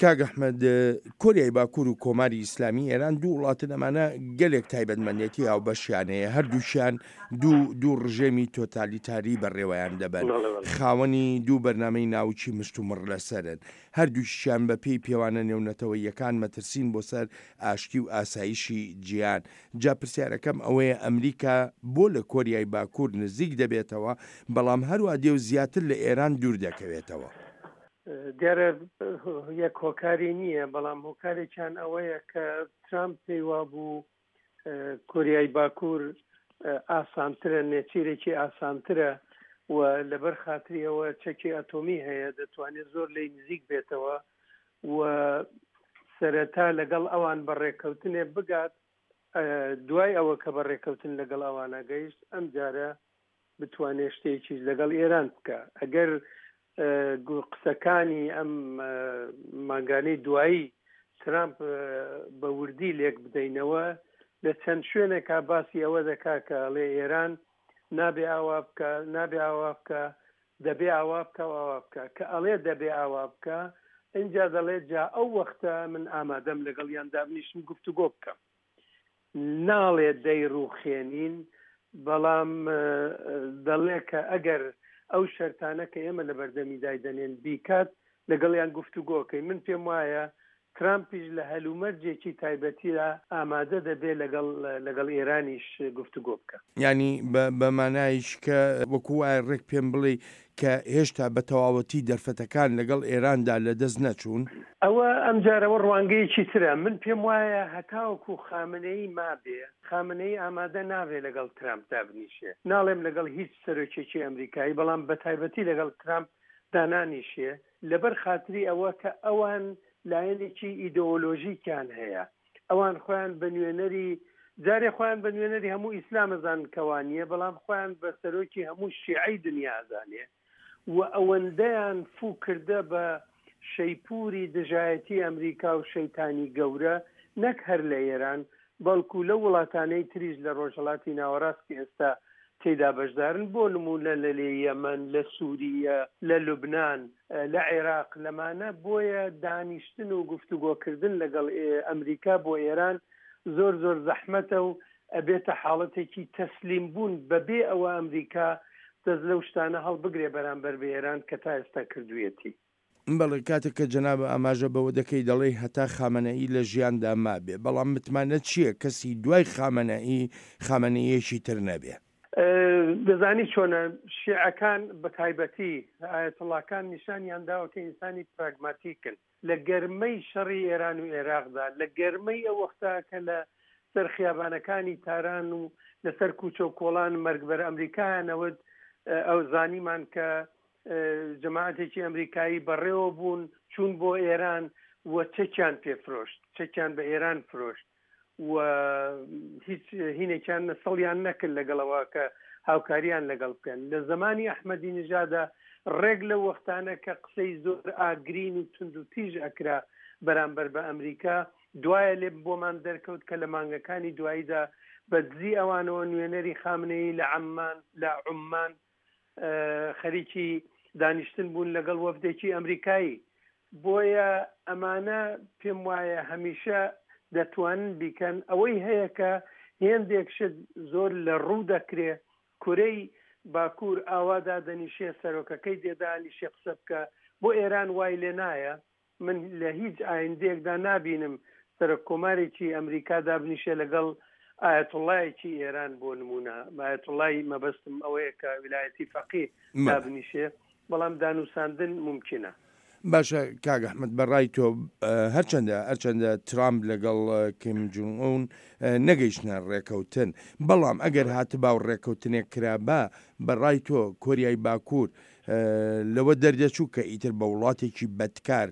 کاک ئەحمەد، کۆریای باکوور و کۆماری ئیسلامی ئێران دوو وڵاتن ئەمانە گەلێک تایبەتمەندێتی هاوبەشیان هەیە، هەردووکیان دوو دوو ڕژێمی تۆتالیتاری بەڕێوەیان دەبەن، خاوەنی دوو بەرنامەی ناوکی مشتومڕ لەسەرن، هەردووکیشیان بە پێی پێوانە نێونەتەوەییەکان مەترسین بۆ سەر ئاشتی و ئاسایشی جیهان. جا پرسیارەکەم ئەوەیە ئەمریکا بۆ لە کۆریای باکوور نزیک دەبێتەوە، بەڵام هەروا دێ و زیاتر لە ئێران دوور دەکەوێتەوە؟ دیارە یەک هۆکاری نییە، بەڵام هۆکارێکیان ئەوەیە کە ترامپ پێی وابوو کۆریای باکوور ئاسانترە، نێچیرێکی ئاسانترە و لەبەر خاتری ئەوە چەکی ئەتۆمی هەیە دەتوانێت زۆر لێی نزیک بێتەوە و سەرەتا لەگەڵ ئەوان بە ڕێککەوتنێ بگات، دوای ئەوە کە بە ڕێککەوتن لەگەڵ ئەوانە گەیشت ئەمجارە بتوانێ شتێکیش لەگەڵ ئێران بکا. ئەگەر قسەکانی ئەم مانگانەی دوایی ترامپ بە وردی لێک بدەینەوە لە چەند شوێنێکا باسی ئەوە دەکا کە ئەڵێ ئێران نابێ ئاوا بکە نابێ ئاوا بکە دەبێ ئاوا بکە و ئاوا بکە کە ئەڵێ دەبێ ئاوا بکە ئینجا دەڵێ جا ئەو وەختە من ئامادەم لەگەڵیان دابنیشم گفتوگۆ بکەم. ناڵێ دەیڕووخێنین، بەڵام دەڵێ کە ئەگەر ئەو شەرتانە کە ئێمە لە بەردەمی دایدەنێن بیکات، لەگەڵیان گفتوگۆ کەین. من پێم وایە ترامپیش لە هەلومەرجێکی تایبەتیدا ئامادە دەبێ لەگەڵ لەگەڵ ئێرانیش گفتوگۆ بکا. یانی بە مانایش کە وەکوو وایە ڕێک پێم بڵێی کە هێشتا بە تەواوەتی دەرفەتەکان لەگەڵ ئێراندا لەدەست نەچوون؟ ئەوە ئەمجارەوە ڕوانگەیەکی ترە. من پێم وایە هەتاوەکو خامنەیی مابێ، خامنەیی ئامادە نابێ لەگەڵ ترامپ دابنیشێ. ناڵێم لەگەڵ هیچ سەرۆکێکی ئەمریکایی، بەڵام بەتایبەتی لەگەڵ ترامپ دانانیشێ، لەبەر خاتری ئەوە کە ئەوان لایەنێکی ئیدۆلۆژیکیان هەیە. ئەوان خۆیان بە نوێنەری جارێ خۆیان بە نوێنەری هەموو ئیسلام ئەزانن کە وا نییە بەڵام خۆیان بە سەرۆکی هەموو شیعەی دنیا ئەزانێ و ئەوەندەیان فوو کردە بە شەیپوری دژایەتی ئەمریکا و شەیتانی گەورە نەک هەر لە ئێران بەڵکو لەو وڵاتانەی تریش لە ڕۆژهەڵاتی ناوەڕاست کە ئێستا تێیدا بەشدارن بۆ نموونە لە لێ یەمەن، لە سووریە، لە لوبنان، لە عێراق لەمانە، بۆیە دانیشتن و گفتوگۆکردن لەگەڵ ئەمریکا بۆ ئێران زۆر زۆر زەحمەتە و ئەبێتە حاڵەتێکی تەسلیم بوون بەبێ ئەوە ئەمریکا دەست لەو شتانە هەڵبگرێ بەرامبەر بە ئێران کە تا ئێستا کردوویەتی. بەڵێ کاتێک کە جەنابت ئاماژە بەوە دەکەی دەڵێی هەتا خامەنەئی لە ژیاندا مابێ، بەڵام متمانەت چییە کەسی دوای خامەنەئی، خامەنەییەکی تر نەبێ؟ دەزانی چۆنە، شیعەکان بە تایبەتی ئایەتوڵاکان نیشانیان داوە کە ئینسانی پراگماتیکن. لە گەرمەی شەڕی ئێران و ئێراقدا، لە گەرمەی ئەو وەختە کە لە سەر خیابانەکانی تاران و لە سەر کوچە و کۆڵان مەرگ بەر ئەمریکایان ئەوت، ئەو زانیمان کە جەماعەتێکی ئەمریکایی بەڕێوە بوون چوون بۆ ئێران و چەکیان پێ فرۆشت، چەکیان بە ئێران فرۆشت و هیچ هینێکیان سڵیان نەکرد لەگەڵەوە کە هاوکاریان لەگەڵ بکەن. لە زەمانی ئەحمەدی نژادا ڕێک لەو وەختانە کە قسەی زۆر ئاگرین و توند و تیژ ئەکرا بەرامبەر بە ئەمریکا، دوایە لێ بۆمان دەرکەوت کە لە مانگەکانی دواییدا بە دزی ئەوانەوە نوێنەری خامنەیی لە عەممان لە عوممان خەریکی دانیشتن بوون لەگەڵ وەفدێکی ئەمریکایی. بۆیە ئەمانە پێم وایە هەمیشە دەتوانن بیکەن. ئەوەی هەیە کە هێندێک شت زۆر لە ڕوو دەکرێ، کورەی باکوور ئاوا دادەنیشێ، سەرۆکەکەی دێ دانیشێ قسە بکا، بۆ ئێران وای لێ نایە. من لە هیچ ئایندەیەکدا نابینم سەرۆک کۆمارێکی ئەمریکا دابنیشێ لەگەڵ ئایەتوڵایەکی ئێران بۆ نمونە ئایەتوڵای مەبەستم ئەوەیە کە ویلایەتی فەقی دابنیشێ بەڵام دانوساندن مومکینە. باشە کاک ئەحمەد بە ڕای تۆ هەرچەندە هەرچەندە ترامپ لەگەڵ کیم جونگ ئون نەگەیشتنە ڕێکەوتن بەڵام ئەگەر هاتبا و ڕێکەوتنێک کرابا بە ڕای تۆ کۆریای باکوور لەوە دەردەچوو کە ئیتر بە وڵاتێکی بەدکار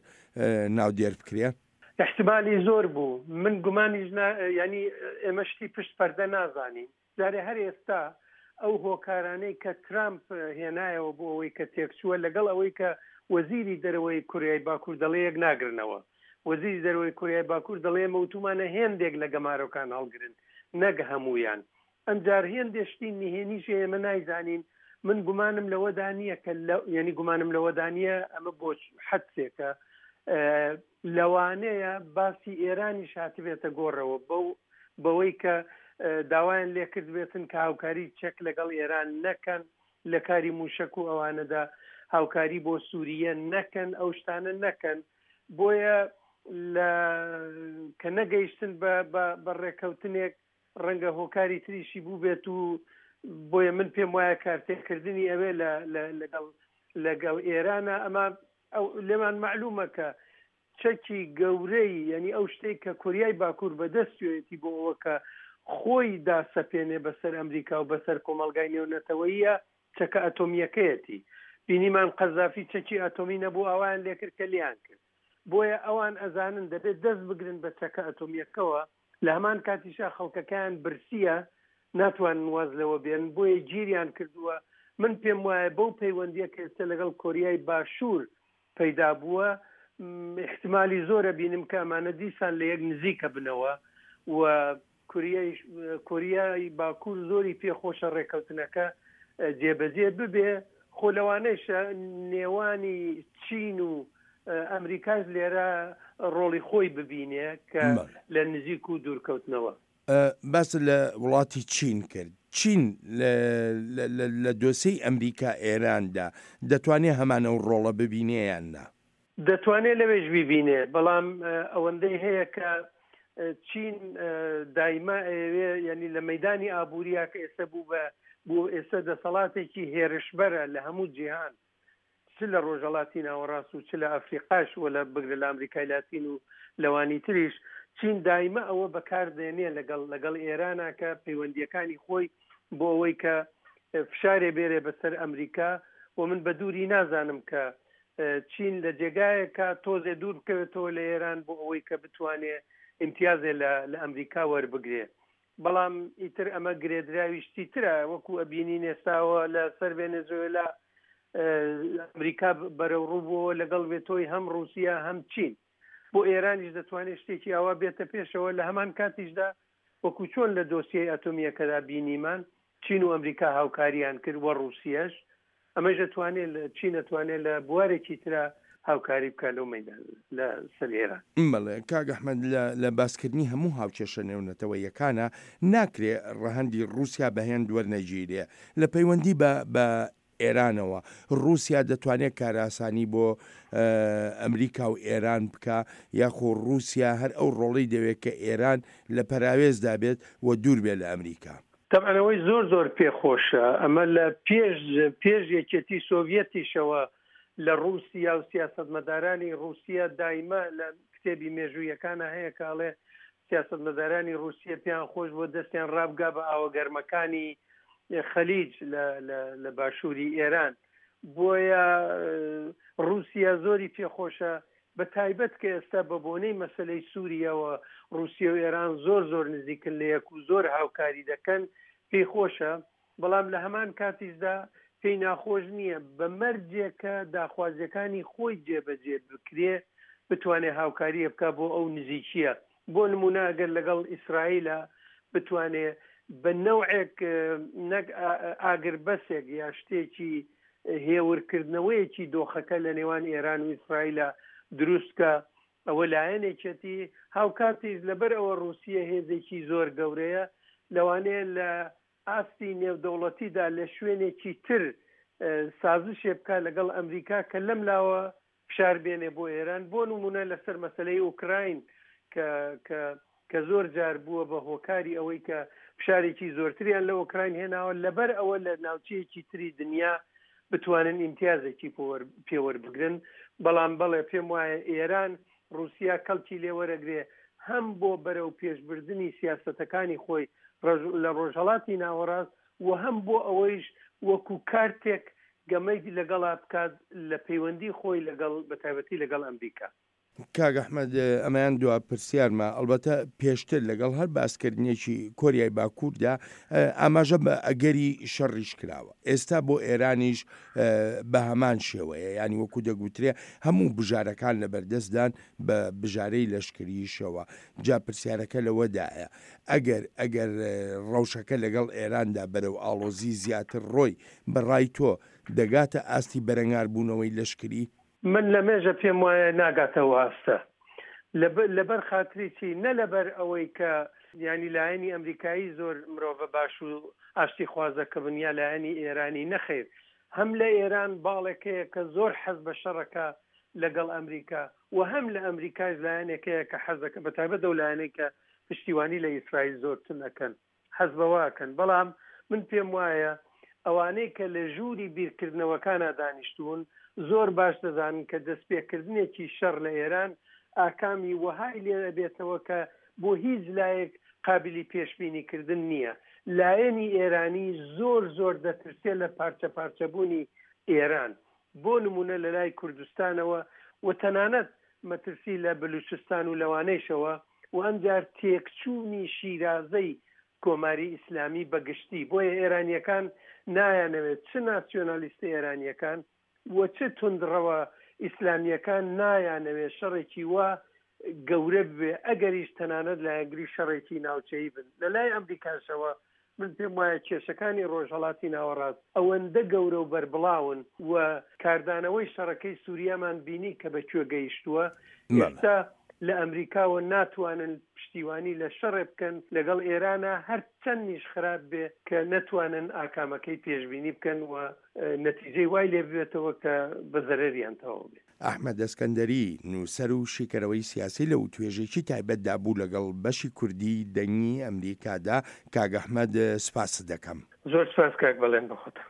ناودێر بکرێ؟ ئیحتمالی زۆر بوو. من گومانیش نا یانی ئێمە شتی پشت پەردە نازانین. جارێ هەر ئێستا ئەو هۆکارانەی کە ترامپ هێنایەوە بۆ ئەوەی کە تێکچووە لەگەڵ ئەوەی کە وەزیری دەرەوەی کوریای باکوور دەڵێ یەک ناگرنەوە. وەزیری دەرەوەی کوریای باکوور دەڵێ ئێمە وتوومانە هێندێک لە گەمارۆکان هەڵگرن نەک هەموویان. ئەمجار هێندێ شتی نهێنیش هەیە ئێمە نایزانین، من گومانم لەوەدا نییە کە لە یانی گومانم لەوەدا نییە ئەمە بۆ حەدسێکە. لەوانەیە باسی ئێرانیش هاتبێتە گۆڕەوە بەو بەوەی کە داوایان لێکردبێتن کە هاوکاری چەک لەگەڵ ئێران نەکەن لە کاری موشەک و ئەوانەدا هاوکاری بۆ سوریە نەکەن ئەو شتانە نەکەن بۆیە لە کە نەگەیشتن بە بە ڕێکەوتنێک ڕەنگە هۆکاری تریشی بووبێت و بۆیە من پێم وایە کارتێکردنی ئەوێ لە لەگەڵ لەگەڵ ئێرانە ئەمە ئەو لێمان مەعلومە کە چەکی گەورەی یانی ئەو شتەی کە کۆریای باکوور بەدەستیەتی بۆ ئەوە کە خۆی داسەپێنێ بەسەر ئەمریکا و بەسەر کۆمەڵگای نێونەتەوەییە چەکە ئەتۆمییەکەیەتی. بینیمان قەزافی چەکی ئەتۆمی نەبوو ئاوایان لێکرد کە لێیان کرد. بۆیە ئەوان ئەزانن دەبێت دەست بگرن بە چەکە ئەتۆمییەکەوە لە هەمان کاتیشا خەڵکەکەیان برسییە ناتوانن واز لەوە بێنن بۆیە گیریان کردووە. من پێم وایە بەو پەیوەندییە کە ئێستا لەگەڵ کۆریای باشوور پەیدا بووە ئیحتمالی زۆرە بینم کە ئەمانە دیسان لە یەک نزیکە بنەوە و کۆریای باکوور زۆری پێ خۆشە ڕێکەوتنەکە جێبەجێ ببێ خۆ لەوانەیشە نێوانی چین و ئەمریکاش لێرە ڕۆڵی خۆی ببینێ کە لە نزیک و دوورکەوتنەوە. باست لە وڵاتی چین کرد، چین لە دۆسێی ئەمریکا ئێراندا دەتوانێ هەمان ئەو ڕۆڵە ببینێ یان نا؟ دەتوانێ لەوێش بیبینێ، بەڵام ئەوەندەی هەیە کە چین دایما ئەیەوێ یانی لە مەیدانی ئابووریا کە ئێستا بوو بە بوو ئێستا دەسەڵاتێکی هێرشبەرە لە هەموو جیهان چ لە ڕۆژهەڵاتی ناوەڕاست و چ لە ئەفریقاش و لە بگرە لە ئەمریکای لاتین و لەوانی تریش، چین دایمە ئەوە بەکار دێنێ لەگەڵ لەگەڵ ئێرانا کە پەیوەندییەکانی خۆی بۆ ئەوەی کە فشارێ بێرێ بەسەر ئەمریکا و من بە دووری نازانم کە چین لە جێگایەکا تۆزێ دوور بکەوێتەوە لە ئێران بۆ ئەوەی کە بتوانێ ئیمتیازێ لە لە ئەمریکا وەربگرێ. بەڵام ئیتر ئەمە گرێدراوی شتی ترە وەکو ئەبینین ئێستاوە لە سەر ڤێنێزۆێلا ئەمریکا بەرەو ڕوو بووەوە لەگەڵ ڤێتۆی هەم ڕووسیا هەم چین بۆ ئێرانیش دەتوانێت شتێکی ئاوا بێتە پێشەوە لە هەمان کاتیشدا وەکو چۆن لە دۆسیەی ئەتۆمییەکەدا بینیمان چین و ئەمریکا هاوکاریان کرد و ڕووسیەش ئەمەش ئەتوانێ لە چین ئەتوانێ لە بوارێکی ترا هاوکاری بکا لەو مەیدان لە سەر ئێران. بەڵێ کاک ئەحمەد لە لە باسکردنی هەموو هاوکێشە نێونەتەوەییەکانا ناکرێ ڕەهەندی ڕووسیا بە هێند وەرنەگیرێ لە پەیوەندی بە بە ئێرانەوە ڕووسیا دەتوانێ کارئاسانی بۆ ئەمریکا و ئێران بکا یاخۆ ڕووسیا هەر ئەو ڕۆڵەی دەوێ کە ئێران لە پەراوێزدا بێت و دوور بێ لە ئەمریکا؟ تەبعەن ئەوەی زۆر زۆر پێ خۆشە ئەمە لە پێش پێش یەکێتی سۆڤیەتیشەوە لە ڕووسیا و سیاسەتمەدارانی ڕووسیا دایمە لە کتێبی مێژوویەکانە هەیە کە ئەڵێ سیاسەتمەدارانی ڕووسیە پێیان خۆش بووە دەستیان ڕابگا بە ئاوە گەرمەکانی خەلیج لە لە باشووری ئێران بۆیە ڕووسیا زۆری پێخۆشە بە تایبەت کە ئێستا بە بۆنەی مەسەلەی سوریەوە ڕوسیە و ئێران زۆر زۆر نزیکن لە یەک و زۆر هاوکاری دەکەن پێی خۆشە بەڵام لە هەمان کاتیشدا پێی ناخۆش نییە بە مەرجێک کە داخوازیەکانی خۆی جێبەجێ بکرێ بتوانێ هاوکاریە بکا بۆ ئەو نزیکیە بۆ نمونە ئەگەر لەگەڵ ئیسرائیلە بتوانێ بە نەوعێک نەک ئاگربەسێک یا شتێکی هێورکردنەوەیەکی دۆخەکە لە نێوان ئێران و ئیسرائیلە دروست بکا، ئەوە لایەنێکیەتی، هاوکاتیش لەبەر ئەوە ڕووسیە هێزێکی زۆر گەورەیە، لەوانەیە لە ئاستی نێودەوڵەتیدا لە شوێنێکی تر سازشێ بکا لەگەڵ ئەمریکا کە لەم لاوە فشار بێنێ بۆ ئێران، بۆ نموونە لەسەر مەسەلەی ئوکراین کە کە کە زۆر جار بووە بە هۆکاری ئەوەی کە فشارێکی زۆرتریان لە ئۆکراین هێناوە، لەبەر ئەوە لە ناوچەیەکی تری دنیا بتوانن ئیمتیازێکی پێ وەربگرن، بەڵام بەڵێ پێم وایە ئێران ڕووسیا کەڵکی لێ وەرەگرێ هەم بۆ بەرەو پێشبردنی سیاسەتەکانی خۆی لە ڕۆژهەڵاتی ناوەڕاست و هەم بۆ ئەوەیش وەکوو کارتێک گەمەی لەگەڵا بکات لە پەیوەندی خۆی لەگەڵ بەتایبەتی لەگەڵ ئەمریکا. کاک ئەحمەد ئەمەیان دوا پرسیارمە، ئەڵبەتە پێشتر لەگەڵ هەر باسکردنێکی کۆریای باکووردا ئاماژە بە ئەگەری شەڕیش کراوە، ئێستا بۆ ئێرانیش بە هەمان شێوەیە، یانی وەکو دەگوترێ هەموو بژارەکان لەبەردەستدان بە بژارەی لەشکرییشەوە، جا پرسیارەکە لەوەدایە ئەگەر ئەگەر ڕەوشەکە لەگەڵ ئێراندا بەرەو ئاڵۆزی زیاتر ڕۆی، بە ڕای تۆ دەگاتە ئاستی بەرەنگاربوونەوەی لەشکری؟ من لە مێژە پێم وایە ناگاتە ئەو ئاستە. لەبەر خاتری چی؟ نە لەبەر ئەوەی کە یانی لایەنی ئەمریکایی زۆر مرۆڤە باش و ئاشتیخوازەکە بن یا لایەنی ئێرانی، نەخەیر هەم لە ئێران باڵێک هەیە کە زۆر حەز بە شەڕەکە لەگەڵ ئەمریکا و هەم لە ئەمریکاش لایەنێک هەیە کە حەزەکە بە تایبەت ئەو لایەنەی کە پشتیوانی لە ئیسرائیل زۆر تون ئەکەن حەز بەوە ئەکەن بەڵام من پێم وایە ئەوانەی کە لە ژووری بیرکردنەوەکانا دانیشتوون زۆر باش دەزانن کە دەستپێکردنێکی شەڕ لە ئێران ئاکامی وەهای لێ ئەبێتەوە کە بۆ هیچ لایەک قابیلی پێشبینی کردن نییە. لایەنی ئێرانی زۆر زۆر دەترسێ لە پارچە پارچەبوونی ئێران بۆ نموونە لە لای کوردستانەوە و تەنانەت مەترسی لە بلوچستان و لەوانەیشەوە و ئەمجار تێکچوونی شیرازەی کۆماری ئیسلامی بە گشتی. بۆیە ئێرانییەکان نایانەوێت چ ناسیۆنالیستە ئێرانییەکان و چ توندڕەوە ئیسلامییەکان نایانەوێت شەڕێکی وا گەورە ببێ ئەگەریش تەنانەت لایەنگری شەڕێکی ناوچەیی بن. لە لای ئەمریکاشەوە من پێم وایە کێشەکانی ڕۆژهەڵاتی ناوەڕاست ئەوەندە گەورە و بەربڵاون و کاردانەوەی شەڕەکەی سوریامان بینی کە بە کوێ گەیشتووە، ئێستا لە ئەمریکاوە ناتوانن پشتیوانی لە شەڕێ بکەن لەگەڵ ئێرانا هەرچەندیش خراپ بێ کە نەتوانن ئاکامەکەی پێشبینی بکەن و نەتیجەی وای لێ ببێتەوە کە بە زەرەریان تەواو بێ. ئەحمەد ئەسکەندەری، نووسەر و شیکەرەوەی سیاسی لە وتوێژێکی تایبەتدا بوو لەگەڵ بەشی کوردیی دەنگی ئەمریکادا، کاک ئەحمەد سپاست دەکەم. زۆر سپاس کاک بەڵێن بەخۆتان.